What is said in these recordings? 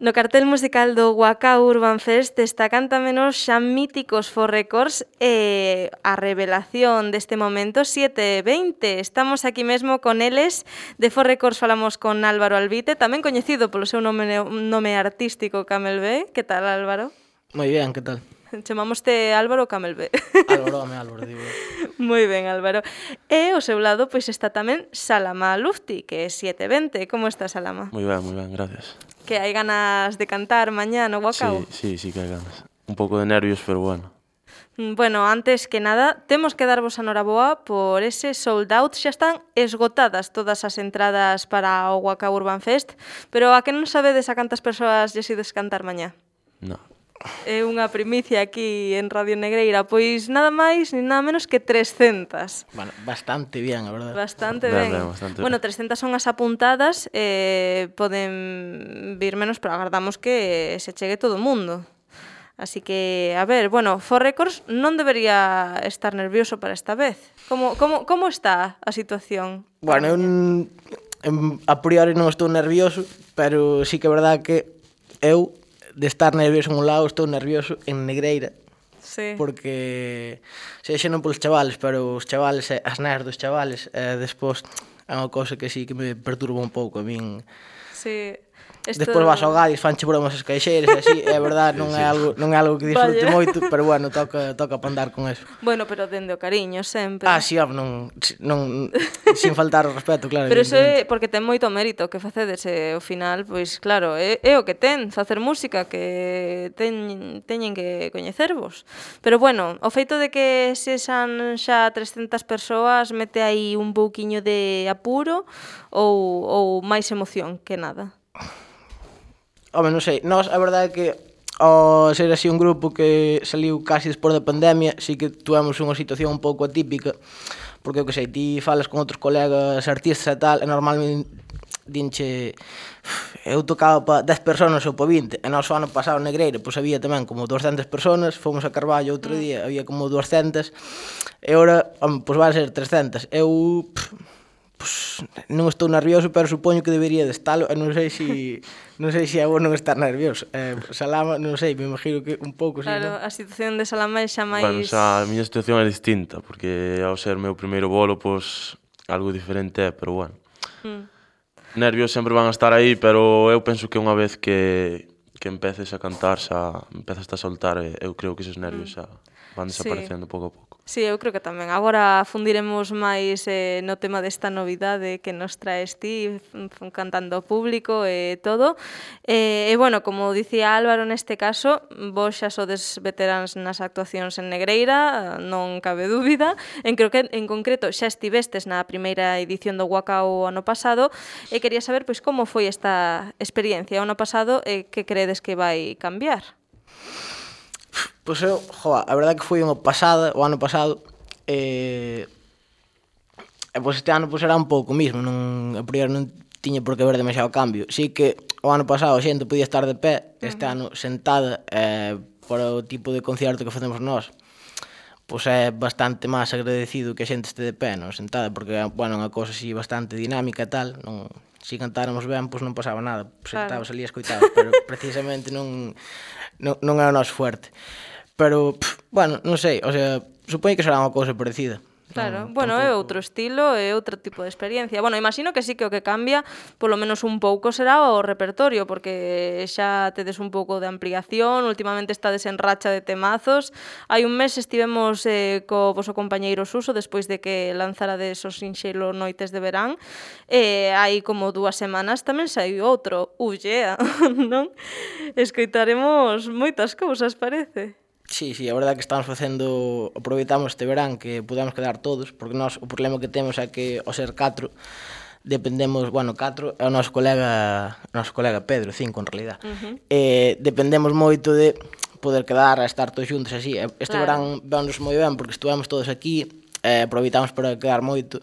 No cartel musical do Waka Urban Fest destacan tamén os xa míticos For Records e a revelación deste momento 720. Estamos aquí mesmo con eles. De For Records falamos con Álvaro Albite, tamén coñecido polo seu nome artístico Camel B. Que tal, Álvaro? Moi ben, que tal? Chamámoste Álvaro Camel B. Álvaro, digo. Moi ben, Álvaro. E ao seu lado pois está tamén Salama Lufti, que é 720. Como está, Salama? Moi ben, gracias. Que hai ganas de cantar mañá no Waka? Sí que hai ganas. Un pouco de nervios, pero bueno. Bueno, antes que nada, temos que darvos a noraboa por ese sold out. Xa están esgotadas todas as entradas para o Waka Urban Fest, pero a que non sabedes a cantas persoas lles ides cantar mañá? No. É unha primicia aquí en Radio Negreira, pois nada máis ni nada menos que 300. Bueno, bastante bien, a verdade. Bastante ben. Bastante Bueno, ben. 300 son as apuntadas, poden vir menos, pero agardamos que se chegue todo o mundo. Así que, a ver, bueno, For Records non debería estar nervioso para esta vez. Como está a situación? Bueno, a priori non estou nervioso, pero sí que é verdade que eu, de estar nervioso en un lado, estou nervioso en Negreira. Sí. Porque, xa non polos chavales, pero os chavales, as neas dos chavales, despois é unha cousa que sí que me perturba un pouco a min. Sí. Despois vas ao Gadis, fanche bromas as caixeiras e así, é verdade, non é algo que disfrute moito, pero bueno, toca para andar con eso. Bueno, pero dende o cariño sempre. Sí, non sin faltar o respeto, claro. Pero iso é porque ten moito mérito que facedes, e ao final, pois claro, é o que ten, facer música, que teñen que coñecervos. Pero bueno, o feito de que sexan xa 300 persoas mete aí un pouquiño de apuro ou máis emoción que nada? Home, non sei, nós a verdade é que ao ser así un grupo que saliu casi despois da pandemia, sí que tuvemos unha situación un pouco atípica, porque, eu que sei, ti falas con outros colegas artistas e tal, e normalmente dinche, eu tocaba para 10 personas ou para 20, e nós o ano pasado en Negreira, pois había tamén como 200 personas, fomos a Carballo outro día, había como 200, e ora, pois van a ser 300. Eu, pois, non estou nervioso, pero supoño que debería de estalo, e non sei se é bo non estar nervioso. Salama, non sei, me imagino que un pouco, claro, sí, non? A situación de Salama é xa máis... Bueno, xa a miña situación é distinta, porque ao ser meu primeiro bolo, pois, algo diferente é, pero bueno. Nervios sempre van a estar aí, pero eu penso que unha vez que empeces a cantar, xa empezas a soltar, e eu creo que esos nervios xa van desaparecendo pouco a pouco. Sí, eu creo que tamén. Agora fundiremos máis no tema desta novidade que nos traes ti, cantando ao público e todo. E, bueno, como dicía Álvaro neste caso, vos xa sodes veteráns nas actuacións en Negreira, non cabe dúbida. Creo que en concreto xa estivestes na primeira edición do Waka o ano pasado, e quería saber pois como foi esta experiencia o ano pasado e que credes que vai cambiar. Pois eu, a verdade que foi unha pasada, o ano pasado, e pois este ano pois era un pouco mismo, a priori non tiña por que haber demasiado cambio. Sí que o ano pasado a xente podía estar de pé, este ano sentada, por o tipo de concierto que facemos nós, pois é bastante máis agradecido que a xente este de pé, non sentada, porque, bueno, é unha cousa así bastante dinámica e tal, non... Si cantáramos ben, pois non pasaba nada, sentabas ali e escoitabas, pero precisamente non é o noso fuerte. Pero, bueno, non sei, o sea, supoño que será unha cousa parecida. Claro, bueno, é outro estilo, é outro tipo de experiencia. Bueno, imagino que sí que o que cambia, polo menos un pouco, será o repertorio, porque xa tedes un pouco de ampliación, últimamente estades en racha de temazos. Hai un mes estivemos co voso compañeiro Suso, despois de que lanzarades os sinxelo Noites de Verán, e hai como 2 semanas tamén saiu outro, yeah, non? Escoitaremos moitas cousas, parece. Sí, a verdade é que estamos facendo, aproveitamos este verán que podemos quedar todos, porque nós o problema que temos é que ao ser 4 dependemos, bueno, 4 é o noso colega Pedro, 5 en realidad. Dependemos moito de poder quedar a estar todos xuntos así. Este verán vémonos moi ben porque estuvemos todos aquí, aproveitamos para quedar moito.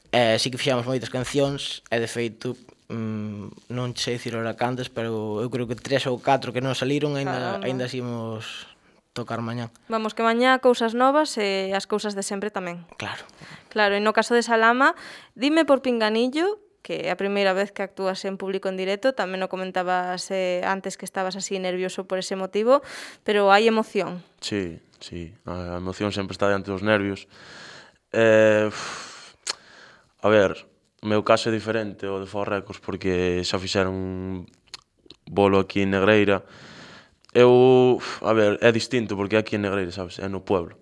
Sí que fixamos moitas cancións e de feito non sei dicir ora cantas, pero eu creo que 3 ou 4 que non saliron aínda así imos tocar mañá. Vamos, que mañá cousas novas e as cousas de sempre tamén. Claro. Claro, e no caso de Salama, dime por pinganillo que é a primeira vez que actúas en público en directo, tamén o comentabas antes que estabas así nervioso por ese motivo, pero hai emoción. Sí, a emoción sempre está diante dos nervios. A ver, o meu caso é diferente ao de For Records porque xa fixeron un bolo aquí en Negreira. A ver, é distinto porque é aquí en Negreira, sabes? É no pueblo.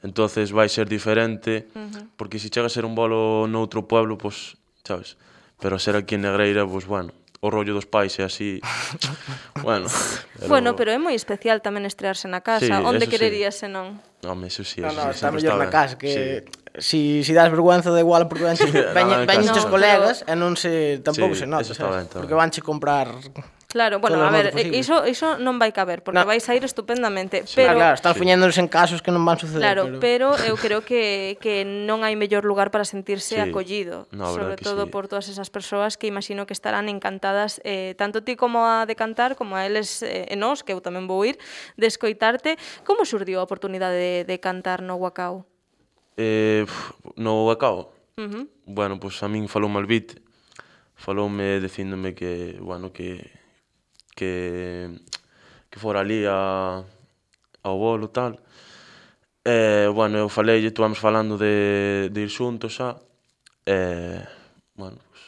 Entonces vai ser diferente porque se chega a ser un bolo noutro pueblo, pois, sabes? Pero a ser aquí en Negreira, pois, bueno, o rollo dos pais é así. Bueno, pero é moi especial tamén estrearse na casa. Sí, Onde eso quererías senón? Home, eso sí, Está sempre mellor na ben. casa, que si das vergüenza da igual porque veñen os colegas e non se tampouco se nota, sabes? Porque vanche comprar. Claro, bueno, a ver, iso non vai caber, porque vais a ir estupendamente, pero... Claro, están fuñéndonos en casos que non van suceder. Claro, pero eu creo que non hai mellor lugar para sentirse acollido, sobre todo por todas esas persoas que imagino que estarán encantadas, tanto ti como a de cantar, como a eles e nós, que eu tamén vou ir, de escoitarte. Como surdiu a oportunidade de cantar no Wacao? No Wacao? Bueno, pois a min faloume Albite, faloume dicíndome que, bueno, que fora ali ao bolo e tal. Bueno, eu faleille, estuvamos falando de ir xuntos xa. Bueno, pues...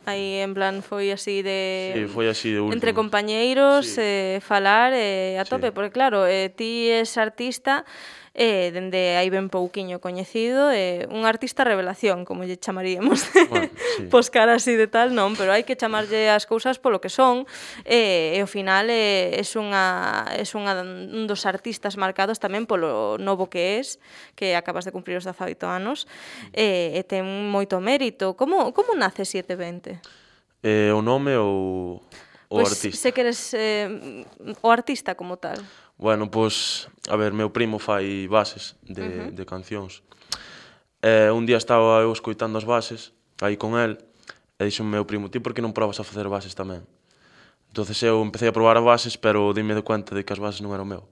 Aí, en plan, foi así de... Sí, foi así de último. Entre compañeiros, falar a tope, porque claro, ti és artista, dende aí ben pouquiño coñecido, un artista revelación, como lle chamaríamos. Bueno, sí. Pos cara así de tal, non, pero hai que chamarlle as cousas polo que son, e ao final és un dos artistas marcados tamén polo novo que és, que acabas de cumprir os 18 anos, e ten moito mérito. Como nace 720? O nome ou o artista? Se queres o artista como tal. Bueno, pois, a ver, meu primo fai bases de cancións. Un día estaba eu escoitando as bases, aí con el, e dixo meu primo, ti por que non probas a facer bases tamén? Entonces eu empecé a probar as bases, pero dime de cuenta de que as bases non eran meu.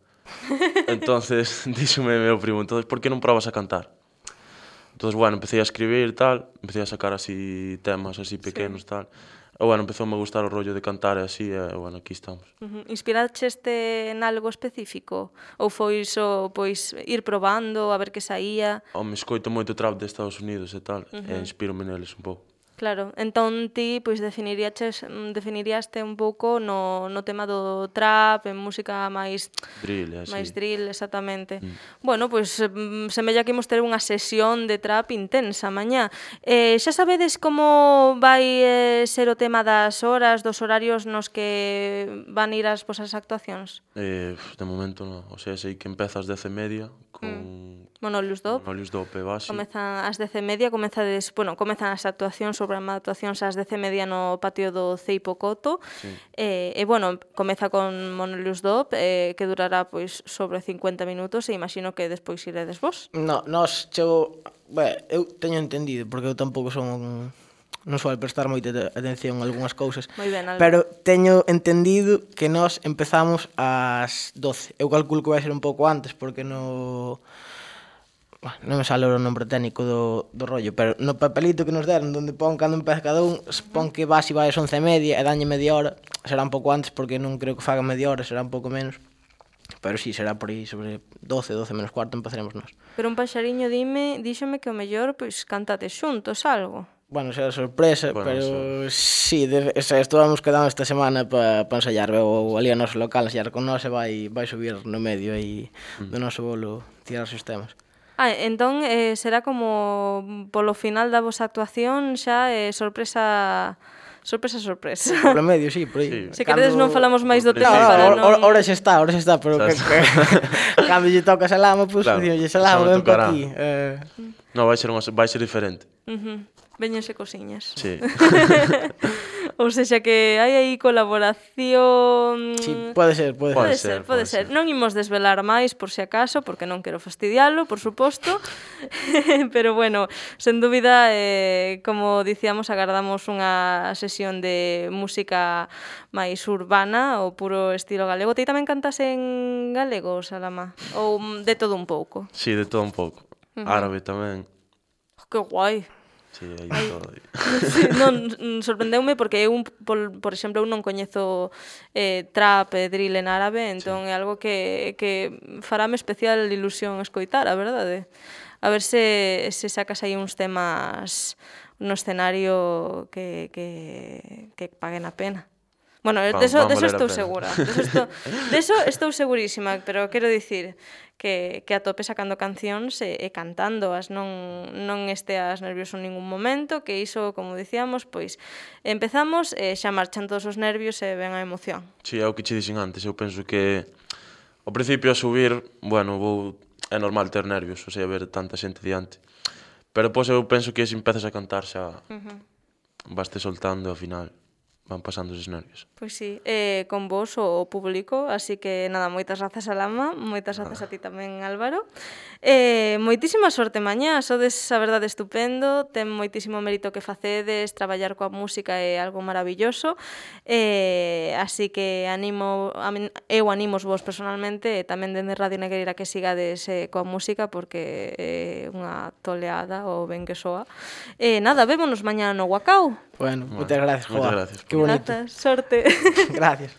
Entonces, díxome meu primo, entonces por que non probas a cantar? Entonces, bueno, empecé a escribir e tal, empecé a sacar así temas así pequenos e tal. E, bueno, empezoume a gustar o rollo de cantar e así, e, bueno, aquí estamos. Inspiraxeste en algo específico? Ou foi iso, pois, ir probando, a ver que saía? Me escoito moito trap de Estados Unidos e tal, e inspírome neles un pouco. Claro, entón ti pois definiríaste un pouco no tema do trap, en música máis drill, así. Máis drill, exactamente. Bueno, pois semella que imos ter unha sesión de trap intensa mañá. Xa sabedes como vai ser o tema das horas, dos horarios nos que van ir as vosas actuacións? De momento non, o sea, sei que empeza ás 10:30 con Monolius Dop. Monolius Dop e Basi. Comezan ás 10:30, comezan as actuacións, o programa de actuacións ás 10:30 no patio do Ceipo Coto. Sí. Bueno, comeza con Monolius Dop, que durará pois sobre 50 minutos e imagino que despois iredes vos. No, eu teño entendido, porque eu tampouco son non suelo prestar moita atención a algunhas cousas. Moi ben, Alba. Pero teño entendido que nós empezamos ás 12. Eu calculo que vai ser un pouco antes, porque non me sale o nombre técnico do rollo, pero no papelito que nos deron, onde pon cando empeza cada un, pon que Basi vai ás 11:30 e dañe media hora. Será un pouco antes, porque non creo que faga media hora, será un pouco menos. Pero sí, será por aí, sobre 12 menos cuarto empezaremos nós. Pero un paxariño díxome que o mellor, pois, cantate xuntos algo. Bueno, será sorpresa, bueno, pero sí, estuvamos quedando esta semana para ensayar. Veo ali a noso local, ensayar con nós e vai subir no medio aí do noso bolo, tirarse os temas. Entón será como polo final da vosa actuación xa sorpresa. Polo medio, sí, por aí. Se queredes non falamos máis do tema para non... Ora xa está, pero cando lle toca Salama, pois dicimos, Salama, ven por aquí. Non, vai ser diferente. Véñense cosiñas. Sí. Ou sexa que hai aí colaboración... Sí, pode ser. Non imos desvelar máis, por si acaso, porque non quero fastidialo, por suposto. Pero bueno, sen dúbida, como dicíamos, agardamos unha sesión de música máis urbana, ou puro estilo galego. Ti tamén cantas en galego, Salama? Ou de todo un pouco? Sí, de todo un pouco. Árabe tamén. Que guai. Sí, aí todo. Sí, non, sorprendeume porque eu, por exemplo, eu non coñezo trap e drill en árabe, entón é algo que farame especial ilusión escoitar, a verdade. A ver se sacas aí uns temas no escenario que paguen a pena. Bueno, deso estou segura. Deso estou segurísima, pero quero dicir que a tope sacando cancións e cantándoas, non esteas nervioso en ningún momento, que iso, como dicíamos, pois empezamos e xa marchan todos os nervios e ven a emoción. Si, é o que che dixen antes, eu penso que ao principio a subir, bueno, é normal ter nervios, o sea, ver tanta xente diante. Pero depois eu penso que se empezas a cantar xa vaste soltando e ao final van pasando esos nervios. Pois sí, con vos o público, así que nada, moitas grazas a Lama, moitas grazas a ti tamén, Álvaro. Moitísima sorte mañá, sodes a verdade estupendo, ten moitísimo mérito que facedes, traballar coa música é algo maravilloso, así que eu animos vos personalmente e tamén dende Radio Negreira que sigades coa música porque é unha toleada o ben que soa. Nada, vémonos mañá no Guacao. Bueno, moitas gracias, Moitas joa. gracias. Que bonito. Grazas, sorte. Gracias.